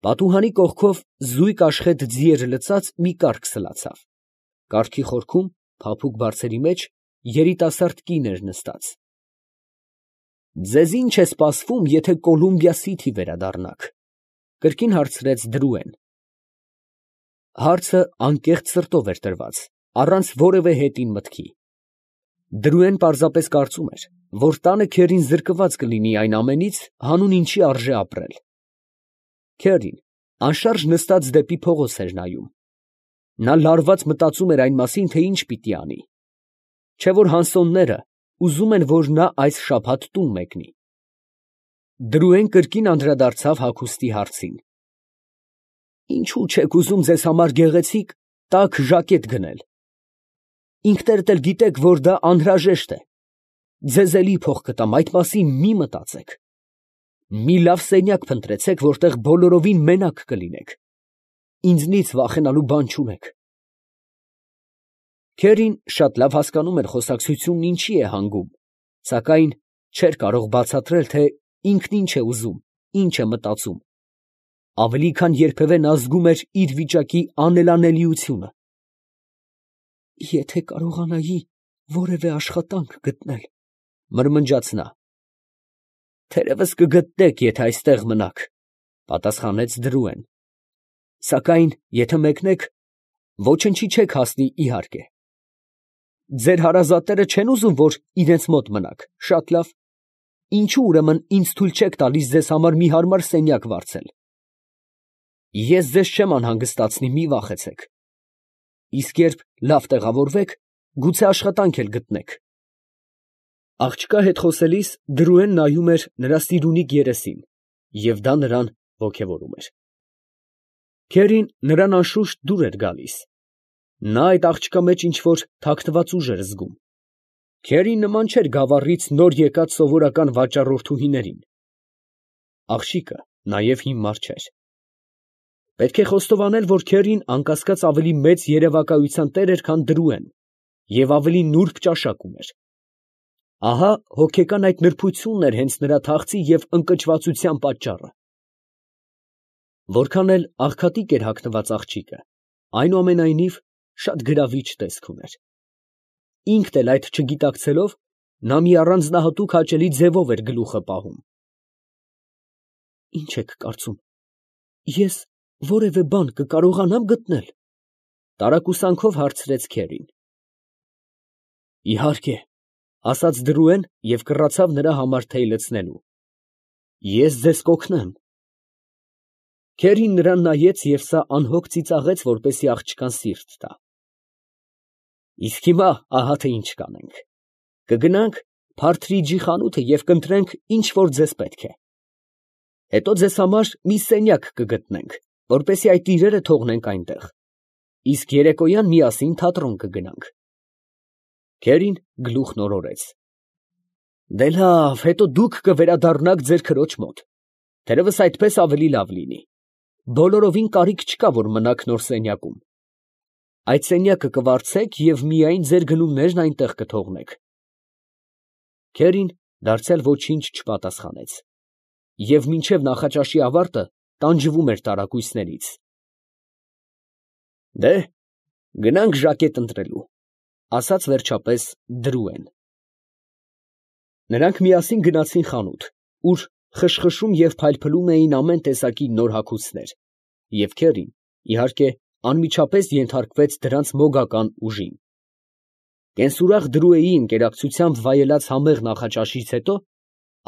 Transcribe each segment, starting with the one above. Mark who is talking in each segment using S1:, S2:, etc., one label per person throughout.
S1: Պատուհանի կողքով զույգ աշխեթ ձիեր լցած մի կառք սլացավ. կառքի խորքում, փափուկ բարձերի մեջ, երիտասարդ կին էր նստած։ «Ձեզ ի՞նչ է սպասվում, եթե Կոլումբիա Սիթի վերադառնաք», ֊ կրկին հարցրեց Դրուեն։ Հարցը անկեղծ սրտով էր տրված, առանց որևէ հետին մտքի։ Դրուեն պարզապես կարծում էր, որ տանը քերին զրկված կլինի այն ամենից, հանուն ինչի արժե ապրել։ Քերին անշարժ նստած դեպի փողոց էր նայում։ Նա լարված մտածում էր այն մասին, թե ինչ պիտի անի։ Չէ՞ որ հանսոնները ուզում են, որ նա այս շաբաթ տուն մեկնի։ Դրուեն կրկին անդրադարձավ հագուստի հարցին։ Ինչո՞ւ չեք ուզում ձեզ համար գեղեցիկ, տաք ժակետ գնել։ Ինքներդ էլ գիտեք, որ դա անհրաժեշտ է։ Ձեզ էլի փող կտամ, այդ մասին մի մտածեք։ Մի լավ սենյակ փնտրեցեք, որտեղ բոլորովին մենակ կլինեք։ Ինձնից վախենալու բան չունեք։ Քերին շատ լավ հասկանում էր խոսակցությունն ինչի է հանգում, սակայն չէր կարող բացատրել, թե ինքն ինչ է ուզում, ինչ է մտածում։ Ավելի քան երբևէ նա զգում էր իր վիճակի անելանելիությունը։ Եթե կարողանայի որևէ աշխատանք գտնել, մրմնջաց նա։ Թերևս կգտնեք, եթե այստեղ մնաք, պատասխանեց Դրուեն։ Սակայն եթե մեկնեք, ոչնչի չեք հասնի, իհարկե։ Ձեր հարազատները չեն ուզում, որ իրենց մոտ մնաք, շատ լավ։ Ինչու ուրեմն ինձ թույլ չեք տալիս ձեզ համար մի հարմար սենյակ վարձել։ Ես ձեզ չեմ անհանգստացնի, մի վախեցեք։ Իսկ երբ լավ տեղավորվեք, գուցե աշխատանք էլ գտնեք։ Աղջկա հետ խոսելիս Դրուեն նայում էր նրա սիրունիկ երեսին, և դա նրան ոգևորում էր։ Քերին նրան անշուշտ դուր էր գալիս։ Նա այդ աղջկա մեջ ինչ֊որ թաքնված ուժ էր զգում։ Քերին նման չէր գավառից նոր եկած սովորական վաճառորդուհիներին։ Աղջիկը նաև հիմար չէր։ Պետք է խոստովանել, որ Քերին անկասկած ավելի մեծ երևակայության տեր էր, քան Դրուեն, և ավելի նուրբ ճաշակ ուներ։ Ահա հոգեկան այդ նրբությունն էր հենց նրա թախծի և ընկճվածության պատճառը։ Որքան էլ աղքատիկ էր հագնված աղջիկը, այնուամենայնիվ շատ գրավիչ տեսք ուներ։ Ինքն էլ այդ չգիտակցելով, նա մի առանձնահատուկ հաճելի ձևով էր գլուխը պահում։ Ի՞նչ եք կարծում, ես որևէ բան կկարողանա՞մ գտնել, տարակուսանքով հարցրեց Քերին։ Իհարկե, ասաց Դրուեն և կռացավ նրա համար թեյ լցնելու։ Ես ձեզ կօգնեմ։ Քերին նրան նայեց և սա անհոգ ծիծաղեց, որպեսզի աղջկան սիրտ տա։ Իսկ հիմա ահա թե ինչ կանենք. կգնանք Փարթրիջի խանութը և կընտրենք, ինչ որ ձեզ պետք է։ Հետո ձեզ համար մի սենյակ կգտնենք, որպեսզի այդ իրերը թողնենք այնտեղ։ Իսկ երեկոյան միասին թատրոն կգնանք։ Քերին գլուխն օրորեց։ Դե լավ, հետո դուք կվերադառնաք ձեր քրոջ մոտ։ Թերևս այդպես ավելի լավ լինի։ Բոլորովին կարիք չկա, որ մնաք նոր սենյակում։ Այդ սենյակը կվարձեք և միայն ձեր գնումներն այնտեղ կթողնեք։ Քերին դարձյալ ոչինչ չպատասխանեց և մինչև նախաճաշի ավարտը տանջվում էր տարակույսներից։ Դե, գնանք ժակետ ընտրելու, ասաց վերջապես Դրուեն։ Նրանք միասին գնացին խանութ, ուր խշխշում և փայլփլում էին ամեն տեսակի նոր հագուստներ, և Քերին, իհարկե, անմիջապես ենթարկվեց դրանց մոգական ուժին։ Կենսուրախ Դրուեի ընկերակցությամբ վայելած համեղ նախաճաշից հետո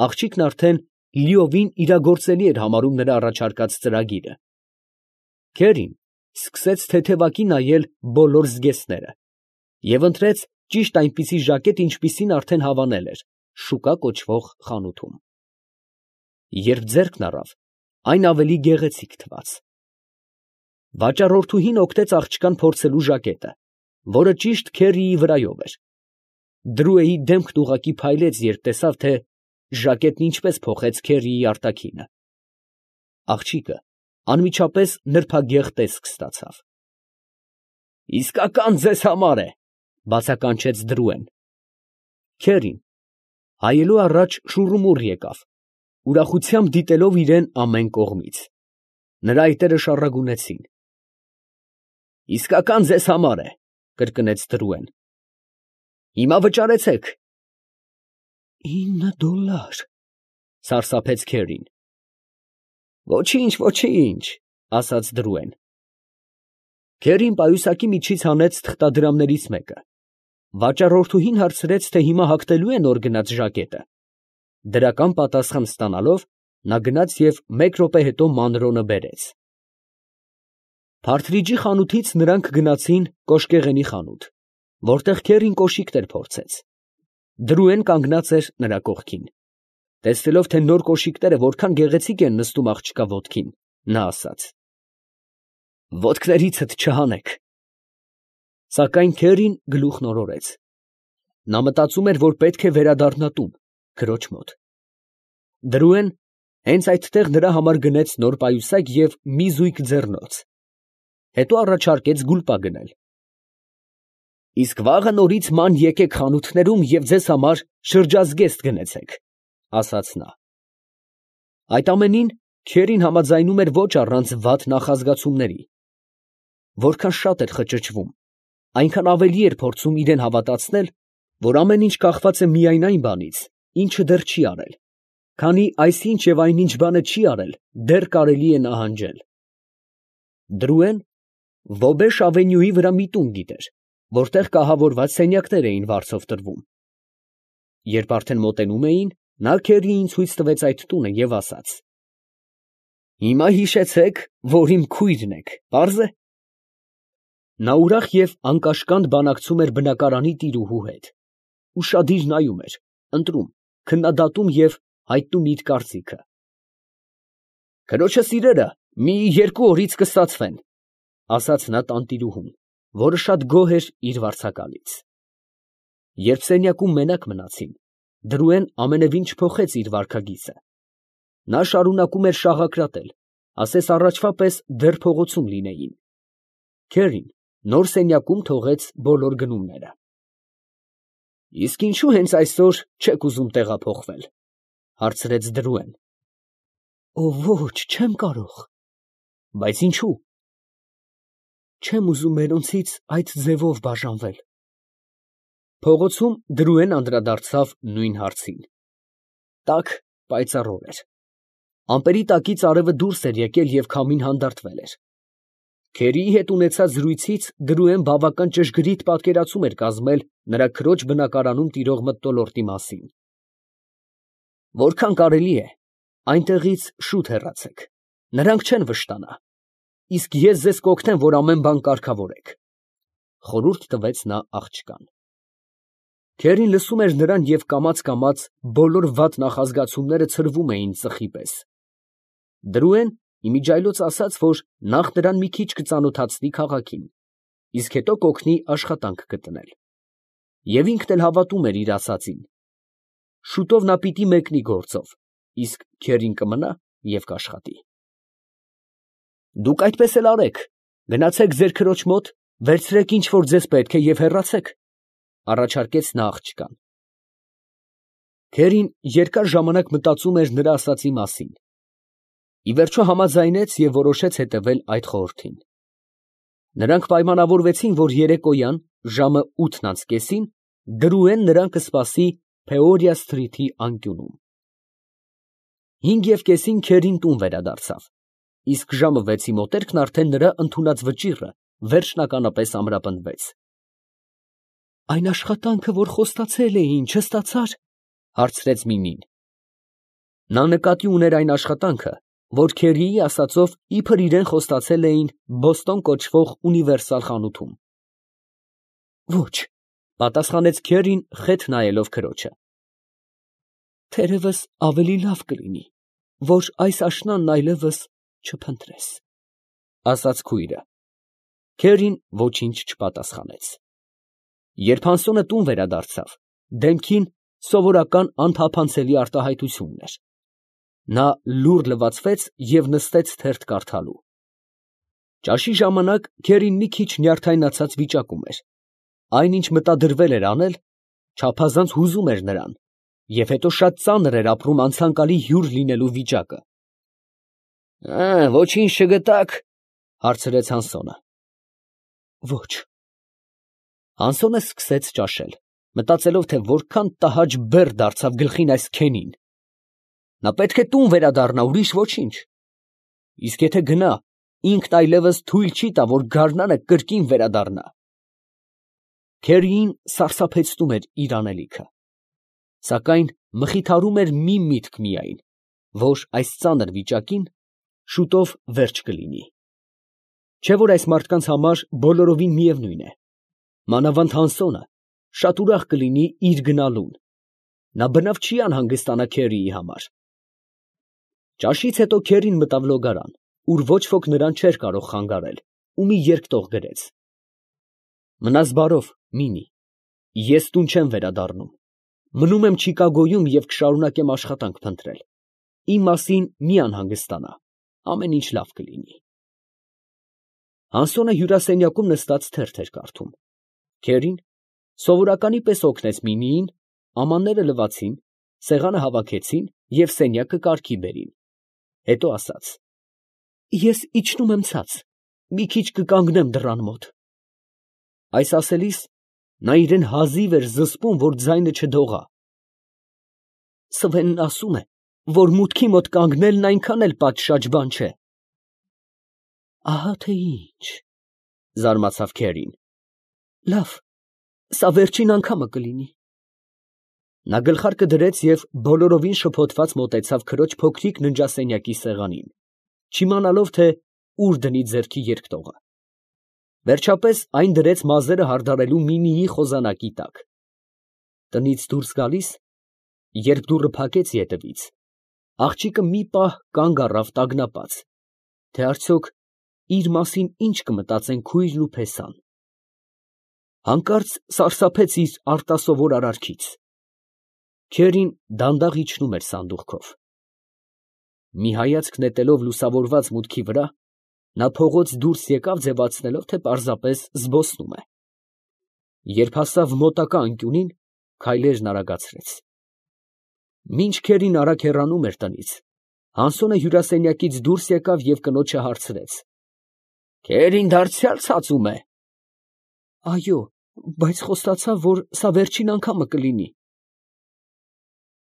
S1: աղջիկն արդեն լիովին իրագործելի էր համարում նրա առաջարկած ծրագիրը։ Քերին սկսեց թեթևակի նայել բոլոր զգեստները և ընտրեց ճիշտ այնպիսի ժակետ, ինչպիսին արդեն հավանել էր շուկա կոչվող խանութում։ Երբ ձեռքն առավ, այն ավելի գեղեցիկ թվաց։ Վաճառորդուհին օգնեց աղջկան փորձելու ժակետը, որը ճիշտ Քերիի վրայով էր։ Դրուեի դեմքն ուղղակի փայլեց, երբ տեսավ, թե ժակետն ինչպես փոխեց Քերիի արտաքինը։ Աղջիկը անմիջապես նրբագեղ տեսք ստացավ։ Իսկական ձեզ համար է, բացականչեց Դրուեն։ Քերին հայելու առաջ շուռումուռ եկավ, ուրախությամբ դիտելով իրան ամեն կողմից։ Նրա այտերը շառագունեցին։ Իսկական ձեզ համար է, կրկնեց Դրուեն։ Հիմա վճարեցեք։ $9, սարսափեց Քերին։ Ոչինչ, ոչինչ, ասաց Դրուեն։ Քերին պայուսակի միջից հանեց թղթադրամներից մեկը։ Վաճառորդուհին հարցրեց, թե հիմա հագնելու է նոր գնած ժակետը։ Դրական պատասխան ստանալով, նա գնաց և 1 րոպե հետո մանրոնը բերեց։ Փարթրիջի խանութից նրանք գնացին կոշկեղենի խանութ, որտեղ Քերին կոշիկներ փորձեց։ Դրուեն կանգնած էր նրա կողքին։ Տեսնելով, թե նոր կոշիկները որքան գեղեցիկ են նստում աղջկա ոտքին, նա ասաց. «Ոտքներիցդ չհանեք»։ Սակայն Քերին գլուխն օրորեց։ Նա մտածում էր, որ պետք է վերադառնա տուն, քրոջ մոտ։ Դրուեն հենց այդտեղ նրա համար գնեց նոր պայուսակ և մի զույգ ձեռնոց։ Հետո առաջարկեց գուլպա գնել։ Իսկ վաղը նորից ման եկեք խանութներում և ձեզ համար շրջազգեստ գնեցեք, ասաց նա։ Այդ ամենին Քերին համաձայնում էր ոչ առանց վատ նախազգացումների։ Որքան շատ էր խճճվում, այնքան ավելի էր փորձում իրեն հավատացնել, որ ամեն ինչ կախված է միայն այն բանից, ինչը դեռ չի արել, քանի այսինչ և այնինչ բանը չի արել, դեռ կարելի է նահանջել։ Դրուեն Ողբեշ ավենյուի վրա մի տուն գիտեր, որտեղ կահավորված սենյակներ էին վարձով տրվում։ Երբ արդեն մոտենում էին, նա Քերիին ցույց տվեց այդ տունը և ասաց. «Հիմա հիշեցեք, որ իմ քույրն եք, պարզ է»։ Նա ուրախ և անկաշկանդ բանակցում էր բնակարանի տիրուհու հետ։ Ուշադիր նայում էր, ընտրում, քննադատում և հայտնում իր կարծիքը։ «Քրոջս իրերը մի 2 օրից կստացվեն», ասաց նա տանտիրուհուն, որը շատ գոհ էր իր վարձակալից։ Երբ սենյակում մենակ մնացին, Դրուեն ամենևին չփոխեց իր վարքագիծը։ Նա շարունակում էր շաղակրատել, ասես առաջվա պես դեռ փողոցում լինեին։ Քերին նոր սենյակում թողեց բոլոր գնումները։ Իսկ ինչու հենց այսօր չեք ուզում տեղափոխվել, հարցրեց Դրուեն։ Ոչ, չեմ կարող։ Բայց ինչու։ Չեմ ուզում մերոնցից այդ ձևով բաժանվել։ Փողոցում Դրուեն անդրադարձավ նույն հարցին։ Տաք, պայծառ օր էր։ Ամպերի տակից արևը դուրս էր եկել և քամին հանդարտվել էր։ Քերիի հետ ունեցած զրույցից Դրուեն բավական ճշգրիտ պատկերացում էր կազմել նրա քրոջ բնակարանում տիրող մթնոլորտի մասին։ Որքան կարելի է, այնտեղից շուտ հեռացեք, նրանք չեն վշտանա, իսկ ես ձեզ կօգնեմ, որ ամեն բան կարգավորեք, խորհուրդ տվեց նա աղջկան։ Քերին լսում էր նրան և կամաց բոլոր վատ նախազգացումները ցրվում էին ծխի պես։ Դրուեն իմիջիայլոց ասաց, որ նախ նրան մի քիչ կծանոթացնի քաղաքին, իսկ հետո կօգնի աշխատանք գտնել։ Եվ ինքն էլ հավատում էր իր ասածին։ Շուտով նա պիտի մեկնի գործով, իսկ Քերին կմնա և կաշխատի։ Դուք այդպես էլ արեք, գնացեք ձեր քրոջ մոտ, վերցրեք ինչ որ ձեզ պետք է և հեռացեք, առաջարկեց նա աղջկան։ Քերին երկար ժամանակ մտածում էր նրա ասածի մասին։ Ի վերջո համաձայնեց և որոշեց հետևել այդ խորհրդին։ Նրանք պայմանավորվեցին, որ երեկոյան ժամը 8:30 Դրուեն նրան կսպասի Փեորիա սթրիթի անկյունում։ 5:30 Քերին տուն վերադարձավ, իսկ ժամը 6-ի մոտերքն արդեն նրա ընդունած վճիռը վերջնականապես ամրապնդվեց։ Այն աշխատանքը, որ խոստացել էին, չստացա՞ր, հարցրեց Միմին։ Նա նկատի ուներ այն աշխատանքը, որ Քերիի ասածով իբր իրեն խոստացել էին Բոստոն կոչվող ունիվերսալ խանութում։ Ոչ, պատասխանեց Քերին խեթ նայելով քրոջը։ Թերևս ավելի լավ կլինի, որ այս աշնանն այլևս չփնտրես, ասաց քույրը։ Քերին ոչինչ չպատասխանեց։ Երբ Հանսոնը տուն վերադարձավ, դեմքին սովորական անթափանցելի արտահայտությունն էր։ Նա լուռ լվացվեց և նստեց թերթ կարդալու։ Ճաշի ժամանակ Քերին մի քիչ նյարդայնացած վիճակում էր։ Այնինչ մտադրվել էր անել, չափազանց հուզում էր նրան, և հետո շատ ծանր էր ապրում անցանկալի հյուր լինելու վիճակը։ Ոչինչ չգտաք, հարցրեց Հանսոնը։ Ոչ։ Հանսոնը սկսեց ճաշել, մտածելով, թե որքան տհաճ բեռ դարձավ գլխին այս քենին։ Նա պետք է տուն վերադառնա, ուրիշ ոչինչ։ Իսկ եթե գնա, ինքն այլևս թույլ չի տա, որ գարնանը կրկին վերադառնա։ Քերիին սարսափեցնում էր իր անելիքը, սակայն մխիթարում էր մի միտք միայն, որ այս ծանր վիճակին շուտով վերջ կլինի։ Չէ՞ որ այս մարդկանց համար բոլորովին միևնույն է, մանավանդ Հանսոնը շատ ուրախ կլինի իր գնալուն, նա բնավ չի անհանգստանա Քերիի համար։ Ճաշից հետո Քերին մտավ լոգարան, ուր ոչ ոք նրան չէր կարող խանգարել, ու մի երկտող գրեց. Մնաս բարով, Մինի, ես տուն չեմ վերադառնում, մնում եմ Չիկագոյում և կշարունակեմ աշխատանք փնտրել, իմ մասին մի անհանգստանա, ամեն ինչ լավ կլինի։ Հանսոնը հյուրասենյակում նստած թերթ էր կարդում։ Քերին սովորականի պես օգնեց Միմիին, ամանները լվացին, սեղանը հավաքեցին և սենյակը կարգի բերին, հետո ասաց. Ես իջնում եմ ցած, մի քիչ կկանգնեմ դռան մոտ։ Այս ասելիս նա իրեն հազիվ էր զսպում, որ ձայնը չդողա։ Սվենն ասում է, որ մուտքի մոտ կանգնելն այնքան էլ պատշաճ բան չէ։ Ահա թե ինչ, զարմացավ Քերին։ Լավ, սա վերջին անգամը կլինի։ Նա գլխարկը դրեց և բոլորովին շփոթված մոտեցավ քրոջ փոքրիկ ննջասենյակի սեղանին, չիմանալով, թե ուր դնի ձեռքի երկտողը։ Վերջապես այն դրեց մազերը հարդարելու Միմիի խոզանակի տակ։ Տնից դուրս գալիս, երբ դուռը փակեց ետևից, աղջիկը մի պահ կանգ առավ տագնապած, թե արդյոք իր մասին ինչ կմտածեն քույրն ու փեսան։ Հանկարծ սարսափեց իր արտասովոր արարքից։ Քերին դանդաղ իջնում էր սանդուղքով։ Մի հայացք նետելով լուսավորված մուտքի վրա, նա փողոց դուրս եկավ, ձևացնելով, թե պարզապես զբոսնում է։ Երբ հասավ մոտակա անկյունին, քայլերն արագացրեց։ Մինչ Քերին արագ հեռանում էր տնից, Հանսոնը հյուրասենյակից դուրս եկավ և կնոջը հարցրեց. Քերին դարձյալ ցածում է։ Այո, բայց խոստացավ, որ սա վերջին անգամը կլինի։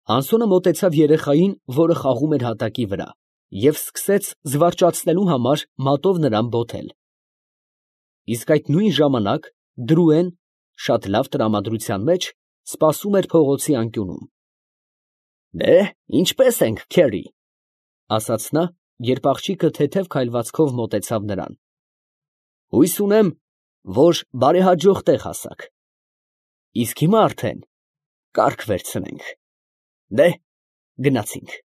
S1: Հանսոնը մոտեցավ երեխային, որը խաղում էր հատակի վրա, և սկսեց զվարճացնելու համար մատով նրան բոթել։ Իսկ այդ նույն ժամանակ Դրուեն շատ լավ տրամադրության մեջ սպասում էր փողոցի անկյունում։ Ինչպե՞ս ենք, Քերի, ասաց նա, երբ աղջիկը թեթև քայլվածքով մոտեցավ նրան։ Հույս ունեմ, որ բարեհաջող տեղ հասաք։ Իսկ հիմա արդեն կարգ վերցնենք։ Գնացինք։